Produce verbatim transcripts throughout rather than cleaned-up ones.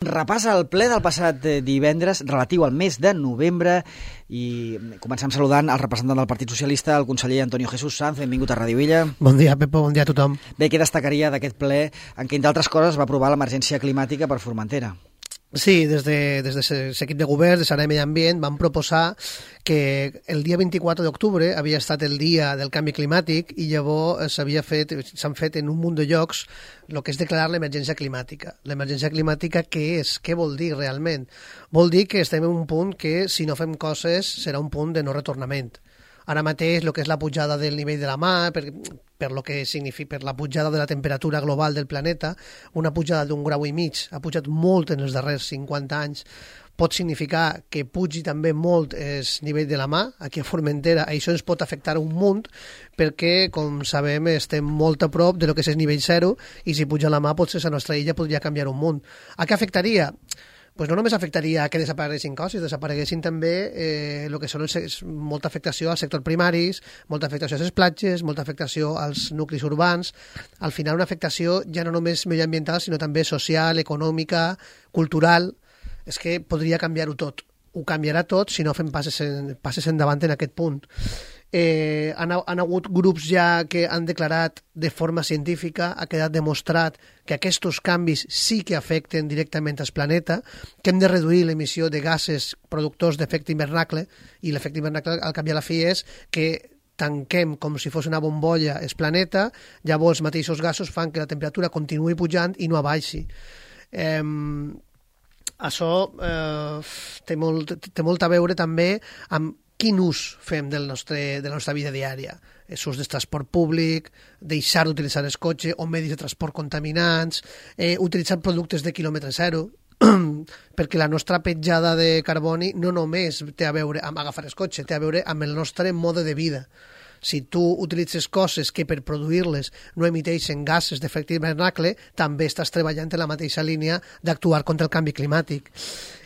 Repassa el ple del passat divendres relatiu al mes de novembre i comencem saludant el representant del Partit Socialista, el conseller Antonio Jesús Sanz. Benvingut a Ràdio Villa. Bon dia, Pepo, bon dia a tothom. Bé, què destacaria d'aquest ple en què, entre altres coses, va aprovar l'emergència climàtica per Formentera? Sí, des de, des de l'equip de govern, de Sara de Medi Ambient, van proposar que el dia vint-i-quatre d'octubre havia estat el dia del canvi climàtic i llavors s'havia fet, s'han fet en un munt de llocs el que és declarar l'emergència climàtica. L'emergència climàtica què és? Què vol dir realment? Vol dir que estem en un punt que, si no fem coses, serà un punt de no retornament. Ara mateix, el que és la pujada del nivell de la mar, per, per, lo que significa, per la pujada de la temperatura global del planeta, una pujada d'un grau i mig, ha pujat molt en els darrers cinquanta anys, pot significar que pugi també molt el nivell de la mar. Aquí a Formentera això ens pot afectar un munt perquè, com sabem, estem molt a prop de lo que és el nivell zero i si puja la mar potser la nostra illa podria canviar un munt. A què afectaria? Pues no només afectaria que desapareguessin coses, desapareguessin també eh, el que són els, molta afectació als sectors primaris, molta afectació a les platges, molta afectació als nuclis urbans, al final una afectació ja no només medioambiental, sinó també social, econòmica, cultural. És que podria canviar-ho tot. Ho canviarà tot si no fem passes, en, passes endavant en aquest punt. Eh, han, han hagut grups ja que han declarat de forma científica, ha quedat demostrat que aquests canvis sí que afecten directament al planeta, que hem de reduir l'emissió de gasos productors d'efecte hivernacle, i l'efecte hivernacle al cap i a la fi és que tanquem com si fos una bombolla el planeta, llavors els mateixos gasos fan que la temperatura continuï pujant i no abaixi. Eh, això eh, té, molt, té molt a veure també amb quin ús fem del nostre, de la nostra vida diària. És ús del transport públic, deixar d'utilitzar el cotxe o medis de transport contaminants, eh, utilitzar productes de quilòmetre zero, perquè la nostra petjada de carboni no només té a veure amb agafar el cotxe, té a veure amb el nostre mode de vida. Si tu utilitzes coses que per produir-les no emiteixen gasos d'efecte hivernacle, també estàs treballant en la mateixa línia d'actuar contra el canvi climàtic.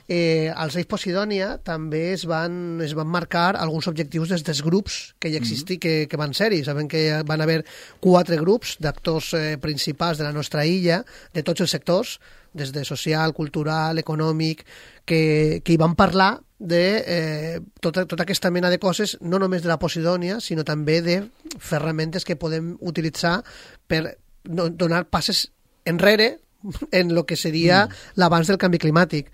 Eh, als Reis Posidònia també es van, es van marcar alguns objectius des dels grups que hi existi, mm-hmm. que, que van ser-hi. Sabem que van haver quatre grups d'actors eh, principals de la nostra illa, de tots els sectors, des de social, cultural, econòmic, que, que hi van parlar de eh, tota, tota aquesta mena de coses, no només de la Posidònia, sinó també de ferramentes que podem utilitzar per no, donar passes enrere en el que seria mm. l'abans del canvi climàtic.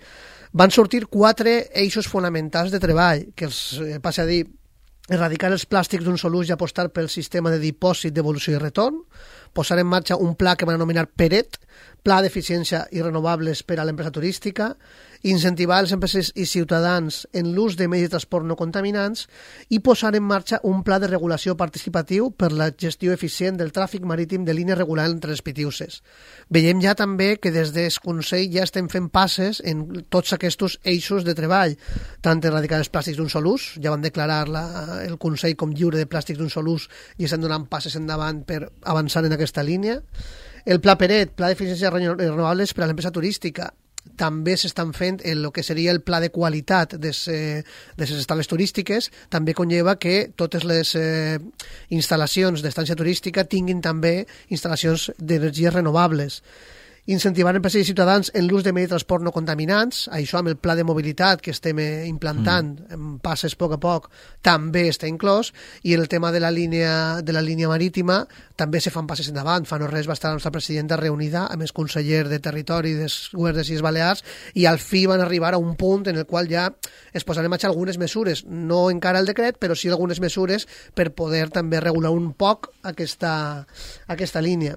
Van sortir quatre eixos fonamentals de treball, que els eh, passa a dir erradicar els plàstics d'un sol ús i apostar pel sistema de dipòsit, devolució i retorn, posar en marxa un pla que van anomenar PERET, Pla d'Eficiència i Renovables per a l'empresa turística, incentivar les empreses i ciutadans en l'ús de medis de transport no contaminants i posar en marxa un pla de regulació participatiu per la gestió eficient del tràfic marítim de línies regular entre les Pitiuses. Veiem ja també que des del Consell ja estem fent passes en tots aquests eixos de treball, tant erradicar els plàstics d'un sol ús, ja van declarar la, el Consell com lliure de plàstics d'un sol ús i estan donant passes endavant per avançar en aquesta línia. El Pla PERET, Pla d'Eficiència Renovables per a l'empresa turística, també s'estan fent el que seria el pla de qualitat de les estades turístiques, també conlleva que totes les eh, instal·lacions d'estància turística tinguin també instal·lacions d'energies renovables. Incentivar empreses i ciutadans en l'ús de medis de transport no contaminants, això amb el pla de mobilitat que estem implantant mm. en passes a poc a poc també està inclòs, i el tema de la línia de la línia marítima també se fan passes endavant. Fa no res va estar la nostra presidenta reunida amb el conseller de Territori del Govern de les Illes Balears i al fi van arribar a un punt en el qual ja es posaran en marxa algunes mesures, no encara el decret, però sí algunes mesures per poder també regular un poc aquesta, aquesta línia.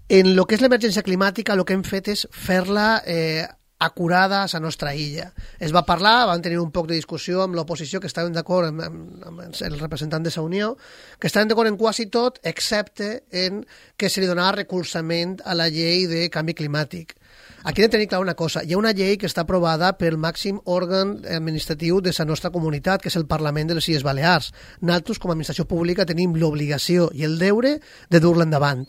En el que és l'emergència climàtica, el que hem fet és fer-la eh, acurada a la nostra illa. Es va parlar, van tenir un poc de discussió amb l'oposició, que estaven d'acord amb, amb, amb el representant de la Unió, que estaven d'acord en quasi tot, excepte en que se li donava recolzament a la llei de canvi climàtic. Aquí hem de tenir clar una cosa. Hi ha una llei que està aprovada pel màxim òrgan administratiu de la nostra comunitat, que és el Parlament de les Illes Balears. Nosaltres, com a administració pública, tenim l'obligació i el deure de dur-la endavant.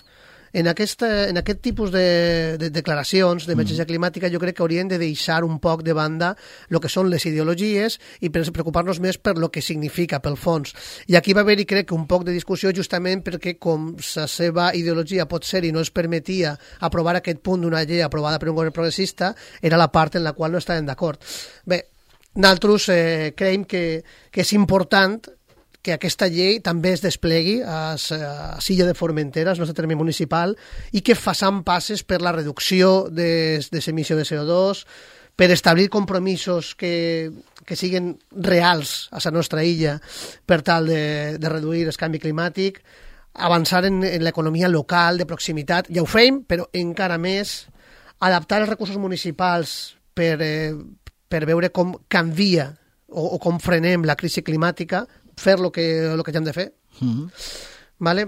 En, aquesta, en aquest tipus de, de declaracions d'emergència mm. climàtica jo crec que hauríem de deixar un poc de banda el que són les ideologies i preocupar-nos més per lo que significa, pel fons. I aquí va haver-hi, crec, un poc de discussió justament perquè com la seva ideologia pot ser i no es permetia aprovar aquest punt d'una llei aprovada per un govern progressista, era la part en la qual no estàvem d'acord. Bé, nosaltres eh, creiem que, que és important que aquesta llei també es desplegui a, a Silla de Formentera, al nostre terme municipal, i que façam passes per la reducció de, de l'emissió de C O dos, per establir compromisos que, que siguin reals a la nostra illa per tal de, de reduir el canvi climàtic, avançar en, en l'economia local, de proximitat, ja ho fem, però encara més, adaptar els recursos municipals per, eh, per veure com canvia o, o com frenem la crisi climàtica, fer el que, lo que ja hem de fer. Mm-hmm. Vale?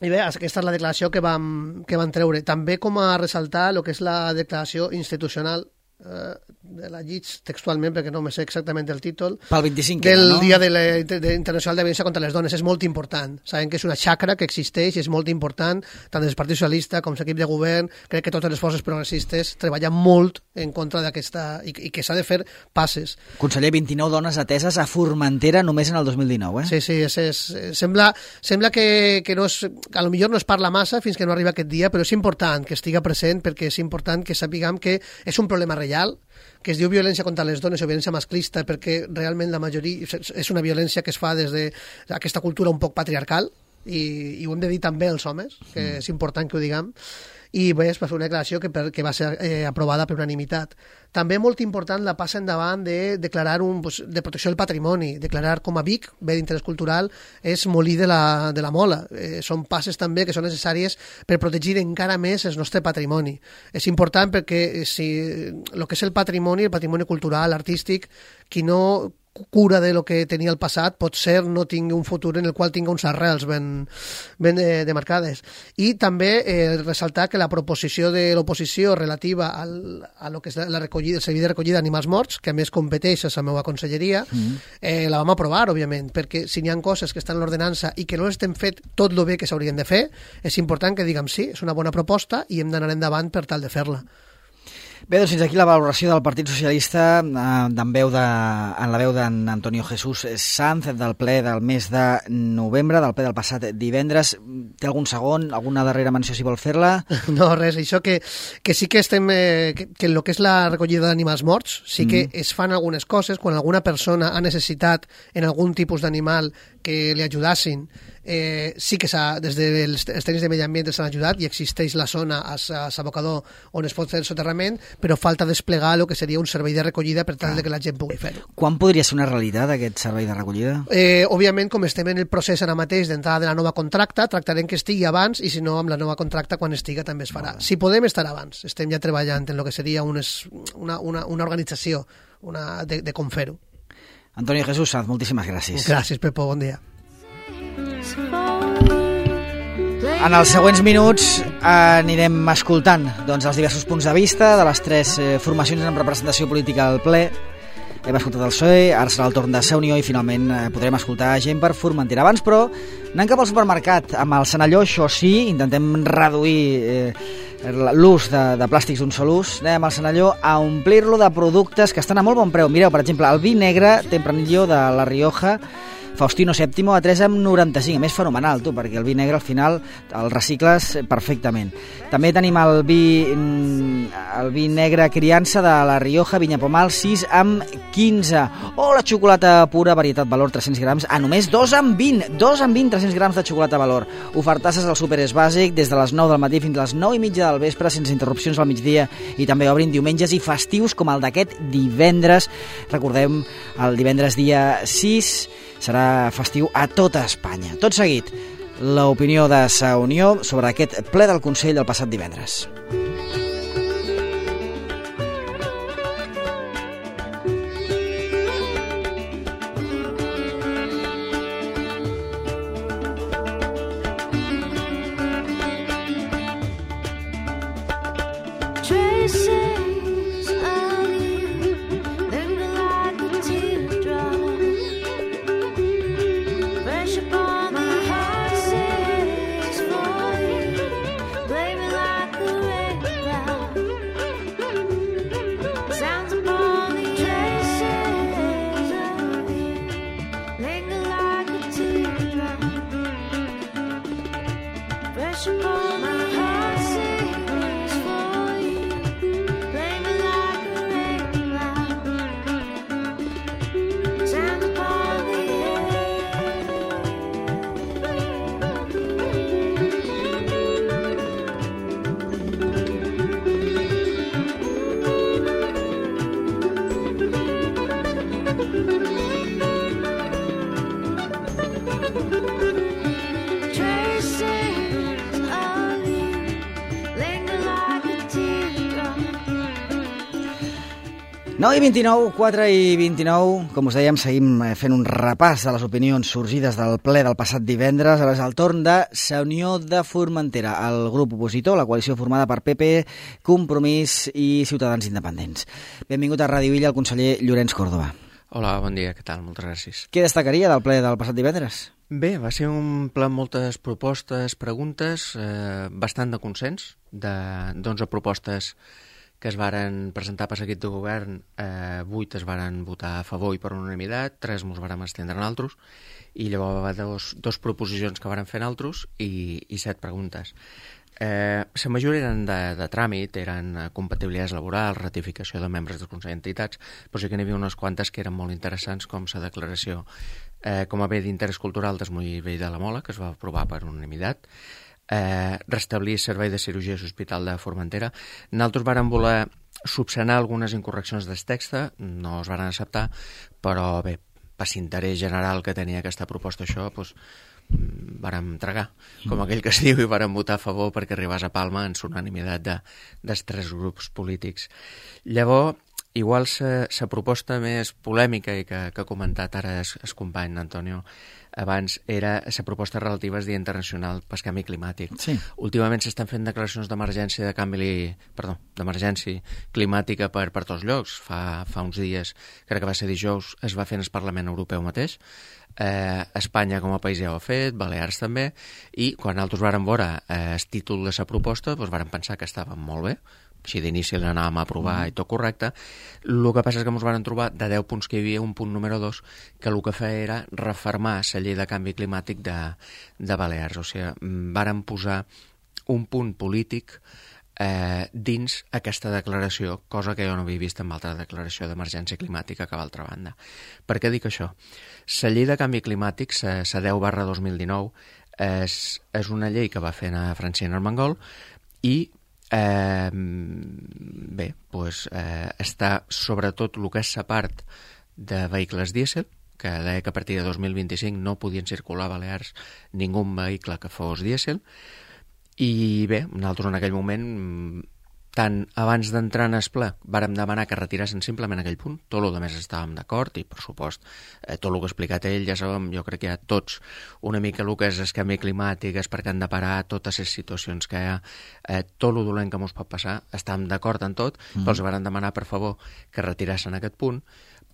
I bé, aquesta és la declaració que vam, que vam treure. També com a ressaltar el que és la declaració institucional, eh, de la lliig textualment, perquè no me sé exactament el títol, pel vint-i-cinc, del no? Dia de la, de, Internacional de Violència contra les Dones. És molt important. Sabem que és una xacra que existeix i és molt important, tant des del Partit Socialista com l'equip de govern. Crec que totes les forces progressistes treballen molt en contra d'aquesta, i, i que s'ha de fer passes. Conseller, vint-i-nou dones ateses a Formentera només en el dos mil dinou, eh? Sí, sí, és, és, sembla, sembla que, que no és, a lo millor no es parla massa fins que no arriba aquest dia, però és important que estiga present, perquè és important que sapiguem que és un problema real, que es diu violència contra les dones o violència masclista perquè realment la majoria és una violència que es fa des d'aquesta cultura un poc patriarcal i, i ho hem de dir també als homes, que mm. és important que ho diguem. I bé, es va fer una declaració que, per, que va ser eh, aprovada per unanimitat. També molt important la passa endavant de declarar un, pues, de protecció del patrimoni, declarar com a Vic, bé d'interès cultural, és molí de la, de la Mola. Eh, són passes també que són necessàries per protegir encara més el nostre patrimoni. És important perquè si el que és el patrimoni, el patrimoni cultural, artístic, qui no cura de lo que tenia el passat, pot ser no tingui un futur en el qual tinga uns arrels ben, ben eh, demarcades. I també eh, ressaltar que la proposició de l'oposició relativa al, a lo que és la recollida, el servei de recollida d'animals morts, que a més competeix a la meva conselleria, mm. eh, la vam aprovar, òbviament, perquè si n'hi ha coses que estan en l'ordenança i que no estem fet tot lo bé que s'haurien de fer, és important que diguem sí, és una bona proposta i hem d'anar endavant per tal de fer-la. Bé, doncs fins aquí la valoració del Partit Socialista eh, en, veu de, en la veu d'en Antonio Jesús Sanz del ple del mes de novembre, del ple del passat divendres. Té algun segon, alguna darrera menció si vol fer-la? No, res, això que, que sí que estem, eh, que, que en el que és la recollida d'animals morts sí que mm. es fan algunes coses, quan alguna persona ha necessitat en algun tipus d'animal que li ajudassin, eh, sí que des dels tècnics de medi ambient s'han ajudat i existeix la zona a l'abocador on es pot fer el soterrament, però falta desplegar el que seria un servei de recollida per tal ah. de que la gent pugui fer-ho. Quan podria ser una realitat aquest servei de recollida? Eh, òbviament, com estem en el procés ara mateix d'entrada de la nova contracta, tractarem que estigui abans i si no, amb la nova contracta quan estiga també es farà. Ah. Si podem estar abans, estem ja treballant en el que seria un es, una, una, una organització una, de, de com fer-ho. Antonio Jesús Sanz, moltíssimes gràcies. Gràcies, Pepo, bon dia. En els següents minuts anirem escoltant doncs, els diversos punts de vista de les tres eh, formacions en representació política al ple. Hem escoltat el P S O E, ara serà el torn de Ser Unió i finalment eh, podrem escoltar gent per Formentera. Abans, però, anant cap al supermercat amb el Senalló, això sí, intentem reduir eh, l'ús de, de plàstics d'un sol ús. Anem al Senalló a omplir-lo de productes que estan a molt bon preu. Mireu, per exemple, el vi negre Tempranillo de La Rioja, Faustino sèptimo a tres coma noranta-cinc, a més fenomenal, tu, perquè el vi negre al final el recicles perfectament. També tenim el vi, el vi negre Criança de La Rioja, Vinya Pomal, sis coma quinze. O la xocolata pura, varietat valor tres-cents grams, a només dos coma vint, dos coma vint, tres-cents grams de xocolata valor. Ofertasses al súper és bàsic, des de les nou del matí fins a les nou i mitja del vespre, sense interrupcions al migdia, i també obrin diumenges i festius com el d'aquest divendres. Recordem, el divendres dia sis serà festiu a tota Espanya. Tot seguit, l'opinió de Sa Unió sobre aquest ple del Consell del passat divendres. nou i vint-i-nou, quatre i vint-i-nou, com us dèiem, seguim fent un repàs de les opinions sorgides del ple del passat divendres. Ara és el torn de Sa Unió de Formentera, el grup opositor, la coalició formada per P P, Compromís i Ciutadans Independents. Benvingut a Ràdio Illa el conseller Llorenç Córdoba. Hola, bon dia, què tal? Moltes gràcies. Què destacaria del ple del passat divendres? Bé, va ser un ple amb moltes propostes, preguntes, eh, bastant de consens, d'onze propostes que es varen presentar per l'equip de govern, eh, vuit es varen votar a favor i per unanimitat, tres mos varen estendre en altres, i llavors va dos, dos proposicions que varen fer en altres i, i set preguntes. Eh, la majoria eren de, de tràmit, eren compatibilitats laborals, ratificació de membres del Consell d'Entitats, però sí que n'hi havia unes quantes que eren molt interessants, com la declaració eh, com a bé d'interès cultural del Moll de la Mola, que es va aprovar per unanimitat, Eh, restablir servei de cirurgia a l'Hospital de Formentera. Nosaltres vàrem voler subsanar algunes incorreccions del text, no es varen acceptar, però bé, per l'interès general que tenia aquesta proposta això, doncs, vàrem tragar, com aquell que es diu, i vàrem votar a favor perquè arribés a Palma en l'unanimitat de, dels tres grups polítics. Llavors, igual la proposta més polèmica i que, que ha comentat ara el, el company Antonio abans era la proposta relativa al Dia Internacional pel Canvi Climàtic. Sí. Últimament s'estan fent declaracions d'emergència de canvi, perdó, d'emergència climàtica per, per tots llocs. Fa, fa uns dies, crec que va ser dijous, es va fer en el Parlament Europeu mateix. Eh, Espanya com a país ja ho ha fet, Balears també, i quan nosaltres vàrem veure eh, el títol de la proposta, doncs vàrem pensar que estava molt bé, així d'inici l'anàvem a aprovar mm. i tot correcte. El que passa és que ens van trobar de deu punts que hi havia un punt número dos que el que feia era refermar la llei de canvi climàtic de, de Balears. O sigui, varen posar un punt polític eh, dins aquesta declaració, cosa que jo no havia vist en altra declaració d'emergència climàtica que a l'altra banda. Per què dic això? La llei de canvi climàtic, la deu barra dos mil dinou, és, és una llei que va fer a Francina Armengol i Eh, bé, doncs, eh, està sobretot el que és la part de vehicles dièsel, que deia que a partir de dos mil vint-i-cinc no podien circular a Balears ningú vehicle que fos dièsel, i bé, nosaltres en aquell moment, tant abans d'entrar en el ple, vàrem demanar que retirassin simplement aquell punt, tot el que més estàvem d'acord, i per supost, eh, tot el que ha explicat ell, ja sabem, jo crec que hi ha tots una mica el que és el canvi climàtic, és perquè han de parar totes les situacions que hi ha, eh, tot el dolent que ens pot passar, estàvem d'acord en tot, mm. però els vàrem demanar, per favor, que retirassin aquest punt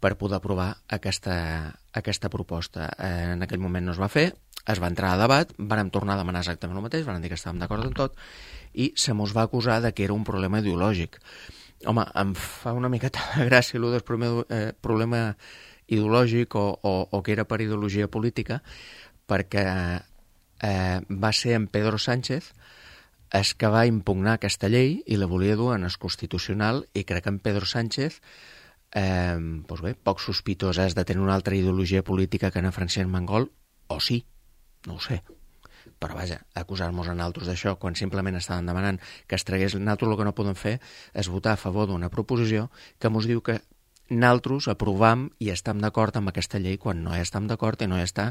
per poder aprovar aquesta, aquesta proposta. Eh, en aquell moment no es va fer, es va entrar a debat, vàrem tornar a demanar exactament el mateix, vàrem dir que estàvem d'acord en tot, i se mos va acusar de que era un problema ideològic. Home, em fa una miqueta de gràcia el del problema, eh, problema ideològic o, o, o que era per ideologia política, perquè eh, va ser en Pedro Sánchez el que va impugnar aquesta llei i la volia dur en el Constitucional, i crec que en Pedro Sánchez eh, doncs bé, poc sospitós és de tenir una altra ideologia política que en Francina Armengol, o sí, no ho sé. Però vaja, acusar-nos a nosaltres d'això quan simplement estaven demanant que es tragués. Nosaltres el que no podem fer és votar a favor d'una proposició que ens diu que nosaltres aprovam i estem d'acord amb aquesta llei quan no hi estem d'acord i no hi està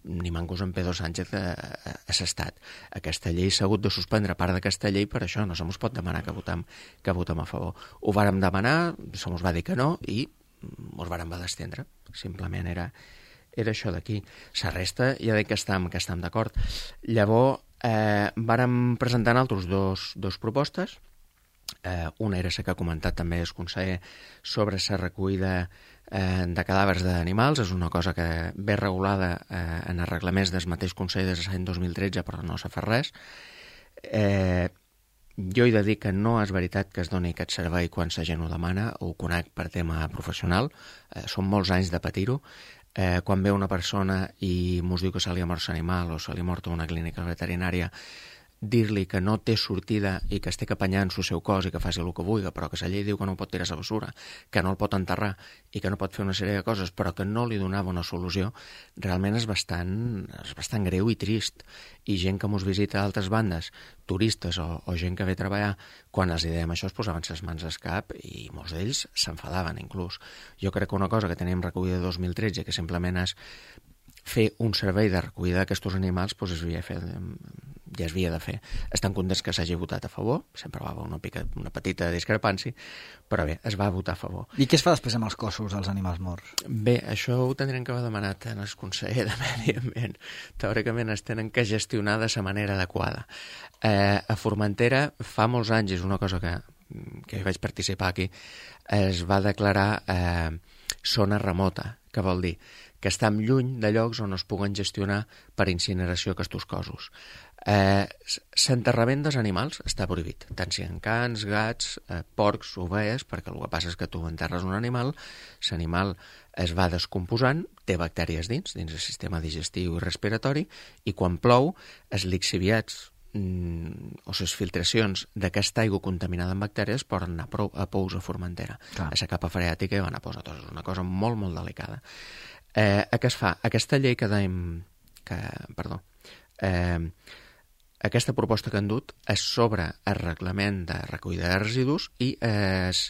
ni mancos en Pedro Sánchez a, a, a l'estat. Aquesta llei s'ha hagut de suspendre part d'aquesta llei per això, no se mos pot demanar que votem, que votem a favor. Ho vàrem demanar, se mos va dir que no i mos vàrem va d'estendre. Simplement era... era això d'aquí. La resta ja dic que estem, que estem d'acord. Llavors, eh, vàrem presentar altres dos, dos propostes. Eh, una era la que ha comentat també el conseller sobre la recollida eh, de cadàvers d'animals. És una cosa que ve regulada eh, en els reglaments del mateix Consell des de l'any dos mil tretze, però no s'ha fet res. Eh, jo he de dir que no és veritat que es doni aquest servei quan la gent ho demana, ho conec per tema professional. Eh, són molts anys de patir-ho. Eh, quan ve una persona i mos diu que se li ha mort l'animal o se li ha mort a una clínica veterinària, dir-li que no té sortida i que es té que apanyar en el seu cos i que faci el que vulgui, però que la llei diu que no pot tirar a la bessura, que no el pot enterrar i que no pot fer una sèrie de coses, però que no li donava una solució, realment és bastant, és bastant greu i trist. I gent que mos visita d'altres bandes, turistes o, o gent que ve a treballar, quan els dèiem això es posaven les mans al cap i molts d'ells s'enfadaven inclús. Jo crec que una cosa que tenim recollida de dos mil tretze, que simplement és fer un servei de recollida d'aquests animals, doncs es havia fet ja es havia de fer. Estan contents que s'hagi votat a favor, sempre va haver una, pica, una petita discrepància, però bé, es va votar a favor. I què es fa després amb els cossos dels animals morts? Bé, això ho tindrem que haver demanat en el conseller de Medi Ambient. Teòricament es tenen que gestionar de la manera adequada. Eh, a Formentera, fa molts anys, és una cosa que, que vaig participar aquí, es va declarar eh, zona remota, que vol dir que estem lluny de llocs on es puguen gestionar per incineració aquests cossos. Eh, L'enterrament dels animals està prohibit, tant si en cans, gats, eh, porcs, ovelles, perquè el que passa és que tu enterres un animal, l'animal es va descomposant, té bactèries dins, dins el sistema digestiu i respiratori, i quan plou, els lixiviats mm, o les filtracions d'aquesta aigua contaminada amb bactèries poden anar a pous a Formentera. Clar. A la capa freàtica i van a posar tots. És una cosa molt, molt delicada. Eh, què es fa? Aquesta llei que dèiem... Que, perdó. Eh, aquesta proposta que han dut és sobre el reglament de recollida de residus i es,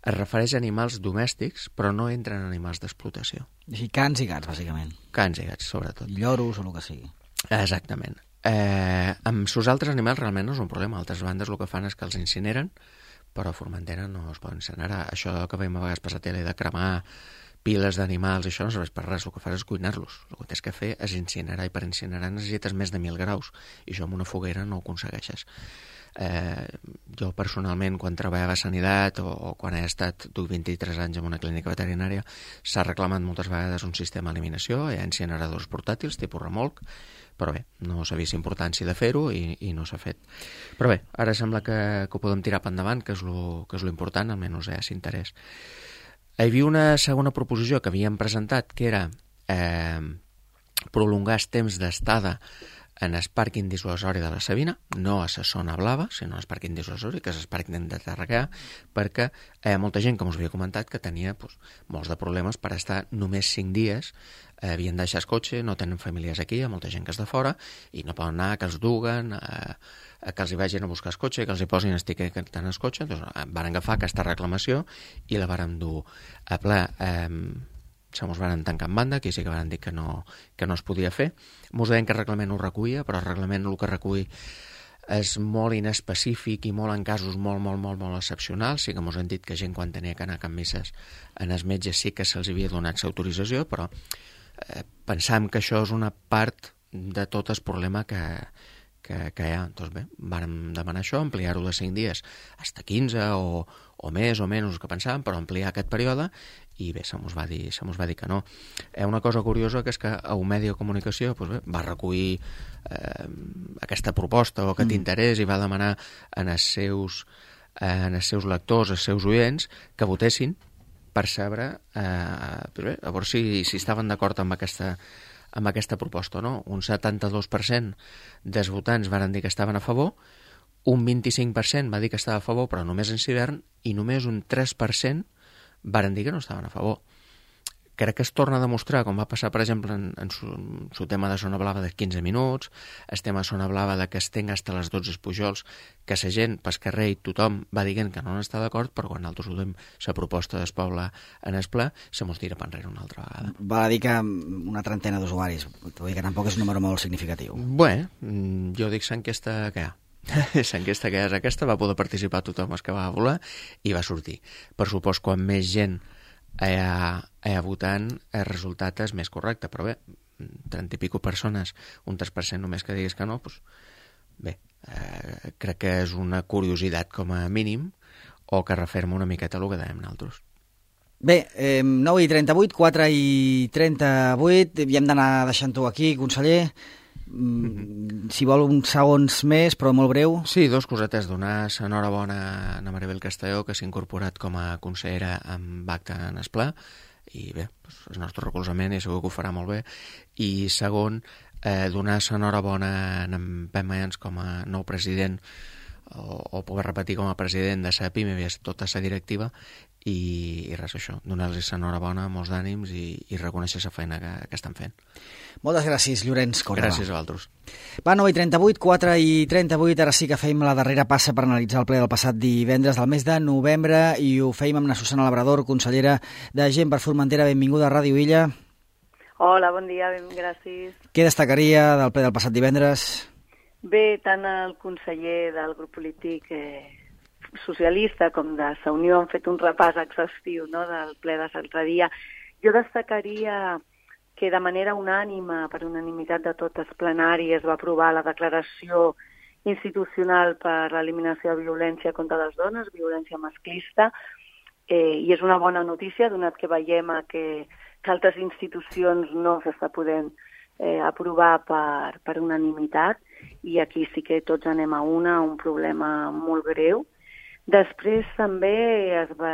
es refereix a animals domèstics, però no entren animals d'explotació. Així, cans i gats, bàsicament. Cans i gats, sobretot. I lloros o el que sigui. Exactament. Eh, amb els altres animals realment no és un problema. Altres bandes el que fan és que els incineren, però a Formentera no es poden incinerar. Això que veiem a vegades per la tele de cremar piles d'animals, això no serveix per res, el que fas és cuinar-los. El que tens que fer és incinerar, i per incinerar necessites més de mil graus, i això amb una foguera no ho aconsegueixes. Eh, jo personalment, quan treballava a Sanitat o, o quan he estat, duc vint-i-tres anys en una clínica veterinària, s'ha reclamat moltes vegades un sistema d'eliminació, hi ha incineradors portàtils, tipus remolc, però bé, no s'ha vist importància de fer-ho i, i no s'ha fet. Però bé, ara sembla que, que ho podem tirar per endavant, que és lo, que és lo important, almenys hi ha s'interès. Hi havia una segona proposició que havíem presentat, que era eh, prolongar el temps d'estada en el pàrquing dissuasori de la Sabina, no a la zona blava, sinó al pàrquing dissuasori, que és el pàrquing de Tarragà, perquè hi ha molta gent, com us havia comentat, que tenia pues, molts de problemes per estar només cinc dies, eh, havien deixat el cotxe, no tenen famílies aquí, hi ha molta gent que és de fora, i no poden anar, que els duguen, eh, que els hi vagin a buscar el cotxe, que els hi posin el tiquet en el cotxe. Doncs van agafar aquesta reclamació i la varen dur a ple. Eh, se mos van tancar en banda, aquí sí que van dir que no, que no es podia fer. Mos deien que el reglament ho recollia, però el reglament el que recull és molt inespecífic i molt en casos molt, molt, molt, molt excepcionals. Sí que mos han dit que gent quan tenia que anar a Can Misses en els metges sí que se'ls havia donat l'autorització, però eh, pensàvem que això és una part de tot el problema que, que, que hi ha. Doncs bé, vàrem demanar això, ampliar-ho de cinc dies fins a quinze o, o més o menys que pensàvem, però ampliar aquest període, i bé, se mos va dir, se mos va dir que no. Hi ha una cosa curiosa, que és que a un medi de comunicació doncs bé, va recollir eh, aquesta proposta o aquest mm. interès i va demanar en els seus, eh, en els seus lectors, els seus oients, que votessin per saber, eh, bé, a veure si, si estaven d'acord amb aquesta, amb aquesta proposta o no. Un setanta-dos per cent dels votants van dir que estaven a favor, un vint-i-cinc per cent va dir que estava a favor, però només en hivern, i només un tres per cent varen dir que no estaven a favor. Crec que es torna a demostrar, com va passar, per exemple, en, en su, su tema de zona blava de quinze minuts, el tema de zona blava de que es tenga fins a les dotze Pujols, que la gent, pel carrer i tothom va dient que no n'està d'acord, però quan nosaltres ho diem la proposta del poble en el ple, se mos tira per enrere una altra vegada. Val a dir que una trentena d'usuaris, vull dir que tampoc és un número molt significatiu. Bé, jo dic l'enquesta que hi ha. L'enquesta que és aquesta, va poder participar tothom els que va voler i va sortir. Per supòs, quan més gent hi ha, hi ha votant, el resultat és més correcte, però bé, trenta i pico persones, un tres per cent només que diguis que no, doncs bé, eh, crec que és una curiositat com a mínim, o que referma una miqueta el que dèiem nosaltres. Bé, eh, nou i trenta-vuit, quatre i trenta-vuit, i hem d'anar deixant-ho aquí, conseller. Mm, si vol uns segons més, però molt breu. Sí, dos cosetes. Donar l'enhorabona a Maribel Castelló, que s'ha incorporat com a consellera amb acte en el ple, i bé, doncs, el nostre recolzament, i segur que ho farà molt bé. I segon, eh, donar l'enhorabona a en Pep Mayans com a nou president, o, o poder repetir com a president de la PIME, tota la directiva, i, i res, això, donar-los l'enhorabona, molts d'ànims, i, i reconèixer la feina que, que estan fent. Moltes gràcies, Llorenç Córdoba. Gràcies a vosaltres. Va, nou i trenta-vuit, quatre i trenta-vuit, ara sí que fèiem la darrera passa per analitzar el ple del passat divendres del mes de novembre, i ho fèiem amb la Susana Labrador, consellera de Gent per Formentera. Benvinguda a Ràdio Illa. Hola, bon dia, ben, gràcies. Què destacaria del ple del passat divendres? Bé, tant el conseller del grup polític eh, socialista com de Sa Unió han fet un repàs exhaustiu, no?, del ple de l'altre dia. Jo destacaria que de manera unànima, per unanimitat de totes plenàries, es va aprovar la declaració institucional per l'eliminació de violència contra les dones, violència masclista, eh, i és una bona notícia, donat que veiem que, que altres institucions no s'està podent eh, aprovar per, per unanimitat, i aquí sí que tots anem a una, un problema molt greu. Després també es va,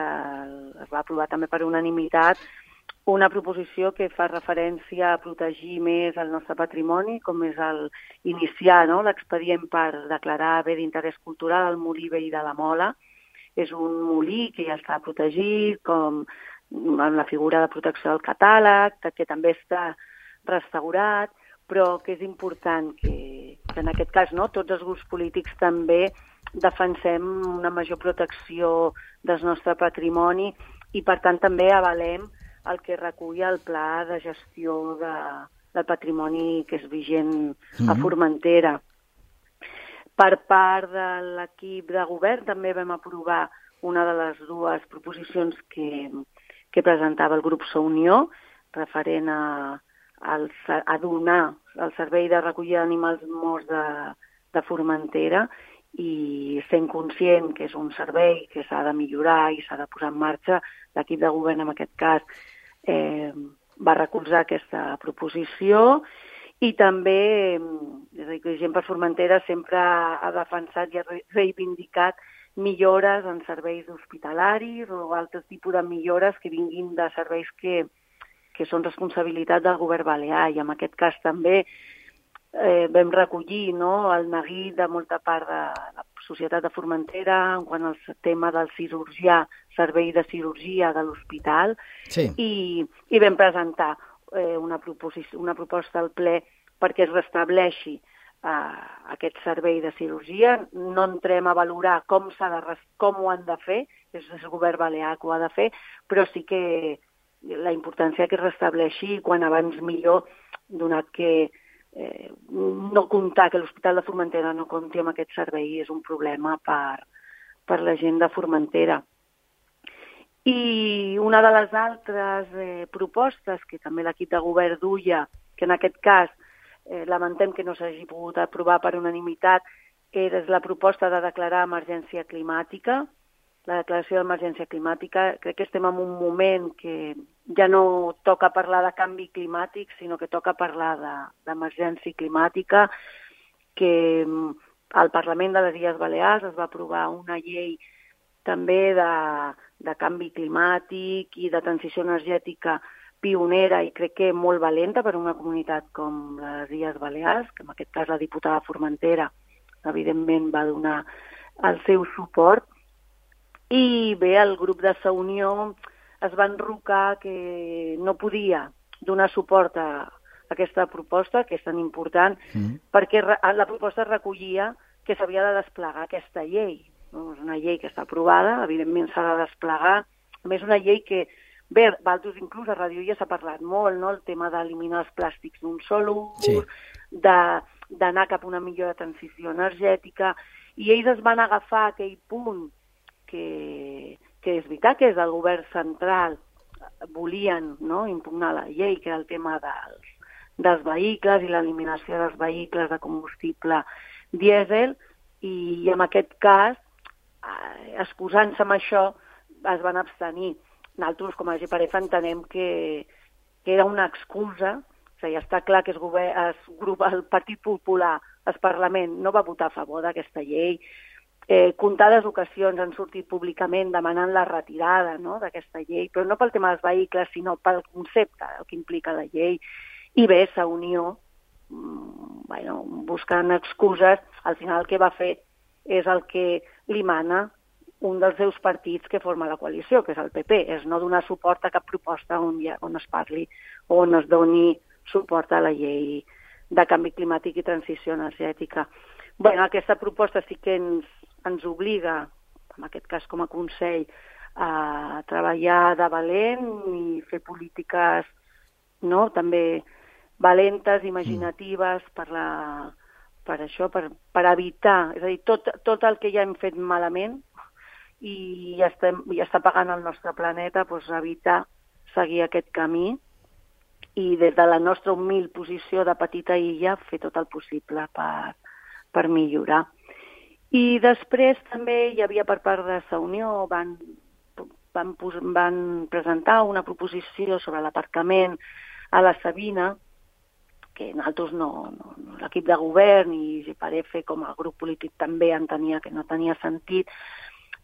es va aprovar també per unanimitat una proposició que fa referència a protegir més el nostre patrimoni, com és el iniciar, no?, l'expedient per declarar bé d'interès cultural el molí vell de la Mola. És un molí que ja està protegit, com amb la figura de protecció del catàleg, que també està restaurat, però que és important que, que en aquest cas, no?, tots els grups polítics també defensem una major protecció del nostre patrimoni i, per tant, també avalem el que recull el pla de gestió de, del patrimoni que és vigent mm-hmm. a Formentera. Per part de l'equip de govern també vam aprovar una de les dues proposicions que, que presentava el grup Sa Unió, referent a, a donar el servei de recollida d'animals morts de, de Formentera, i sent conscient que és un servei que s'ha de millorar i s'ha de posar en marxa, l'equip de govern en aquest cas eh, va recolzar aquesta proposició, i també és a dir, que Gent per Formentera sempre ha defensat i ha reivindicat millores en serveis hospitalaris o altres tipus de millores que vinguin de serveis que, que són responsabilitat del govern balear, i en aquest cas també Eh, vam recollir, no?, el neguit de molta part de la societat de Formentera en quant al tema del cirurgià, servei de cirurgia de l'hospital, sí. i, i vam presentar eh, una, una proposta al ple perquè es restableixi eh, aquest servei de cirurgia. No entrem a valorar com, s'ha de, com ho han de fer, és el govern balear que ho ha de fer, però sí que la importància que es restableixi quan abans millor, donat que Eh, no comptar que l'Hospital de Formentera no compti amb aquest servei és un problema per, per la gent de Formentera. I una de les altres eh, propostes que també l'equip de govern duia, que en aquest cas eh, lamentem que no s'hagi pogut aprovar per unanimitat, era la proposta de declarar emergència climàtica. La declaració d'emergència climàtica, crec que estem en un moment que ja no toca parlar de canvi climàtic, sinó que toca parlar d'emergència climàtica, que al Parlament de les Illes Balears es va aprovar una llei també de, de canvi climàtic i de transició energètica pionera i crec que molt valenta per a una comunitat com les Illes Balears, que en aquest cas la diputada Formentera evidentment va donar el seu suport. I bé, el grup de Sa Unió es va enrocar que no podia donar suport a aquesta proposta, que és tan important, mm. perquè la proposta recollia que s'havia de desplegar aquesta llei. No? És una llei que està aprovada, evidentment s'ha de desplegar. A més, una llei que, bé, Valtos inclús a Ràdio ja s'ha parlat molt, no? El tema d'eliminar els plàstics d'un sol ús, sí. d'anar cap a una millor transició energètica, i ells es van agafar aquell punt que, que és veritat que és del govern central, volien, no?, impugnar la llei, que era el tema dels, dels vehicles i l'eliminació dels vehicles de combustible dièsel, i en aquest cas, eh, excusant-se amb això, es van abstenir. Nosaltres, com a G P R F, entenem que, que era una excusa, o sigui, està clar que es govern, es grup, el Partit Popular, el Parlament, no va votar a favor d'aquesta llei. Eh, comptades ocasions han sortit públicament demanant la retirada, no?, d'aquesta llei, però no pel tema dels vehicles, sinó pel concepte, el que implica la llei. I bé, Sa Unió, mmm, bueno, buscant excuses, al final el que va fer és el que li mana un dels seus partits que forma la coalició, que és el P P, és no donar suport a cap proposta on, ha, on es parli o on es doni suport a la llei de canvi climàtic i transició energètica. Bueno, aquesta proposta sí que ens, ens obliga, en aquest cas com a Consell, a treballar de valent i fer polítiques, no?, també valentes, imaginatives per la, per això, per, per evitar, és a dir, tot, tot el que ja hem fet malament i ja, estem, ja està pagant el nostre planeta, doncs evitar seguir aquest camí i des de la nostra humil posició de petita illa fer tot el possible per, per millorar. I després també hi havia per part de Sa Unió, van, van, van presentar una proposició sobre l'aparcament a la Sabina, que nosaltres no, no, no l'equip de govern i G-Parefe com a grup polític també entenia que no tenia sentit,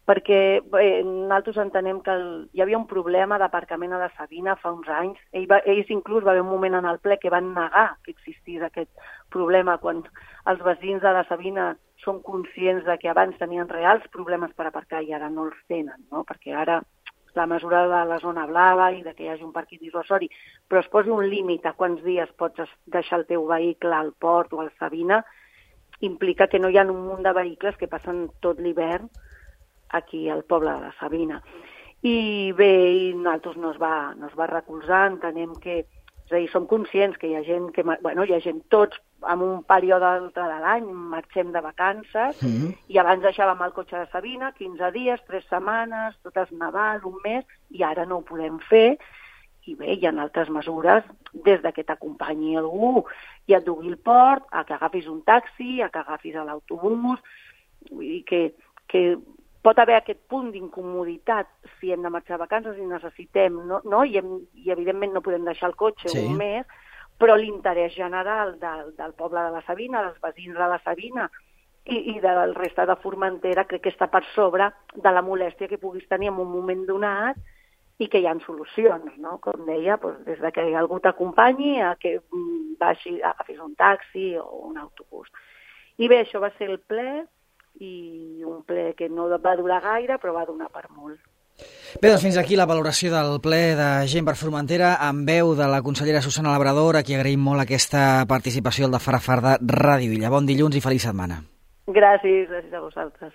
perquè bé, nosaltres entenem que el, hi havia un problema d'aparcament a la Sabina fa uns anys. Ell va, ells inclús va haver un moment en el ple que van negar que existís aquest problema quan els veïns de la Sabina són conscients de que abans tenien reals problemes per aparcar i ara no els tenen, no? Perquè ara la mesura de la zona blava i de que hi hagi un parc dissuasori, però es posi un límit a quants dies pots deixar el teu vehicle al port o al Sabina, implica que no hi ha un munt de vehicles que passen tot l'hivern aquí al poble de la Sabina. I bé, i nosaltres no es va, no es va recolzar, entenem que, és a dir, som conscients que hi ha gent, que, bueno, hi ha gent tots en un període altre de l'any, marxem de vacances, mm-hmm. i abans deixàvem el cotxe de Sabina, quinze dies, tres setmanes, tot es Nadal, un mes, i ara no ho podem fer, i bé, hi ha altres mesures, des de que t'acompanyi algú i et dugui al port, a que agafis un taxi, a que agafis l'autobús, vull dir que, que pot haver aquest punt d'incomoditat si hem de marxar a vacances i necessitem, no? no? I, hem, I evidentment no podem deixar el cotxe sí. un mes, però l'interès general del, del poble de la Sabina, dels veïns de la Sabina i, i del reste de Formentera crec que està per sobre de la molèstia que puguis tenir en un moment donat i que hi ha solucions, no? Com deia, doncs, des de que algú t'acompanyi a que vagi, agafis un taxi o un autobús. I bé, això va ser el ple, i un ple que no va durar gaire, però va donar per molt. Bé, doncs fins aquí la valoració del ple de Gent per Formentera amb veu de la consellera Susana Labrador, a qui agraïm molt aquesta participació al de Farafar de Ràdio Illa. Bon dilluns i feliç setmana. Gràcies, gràcies a vosaltres.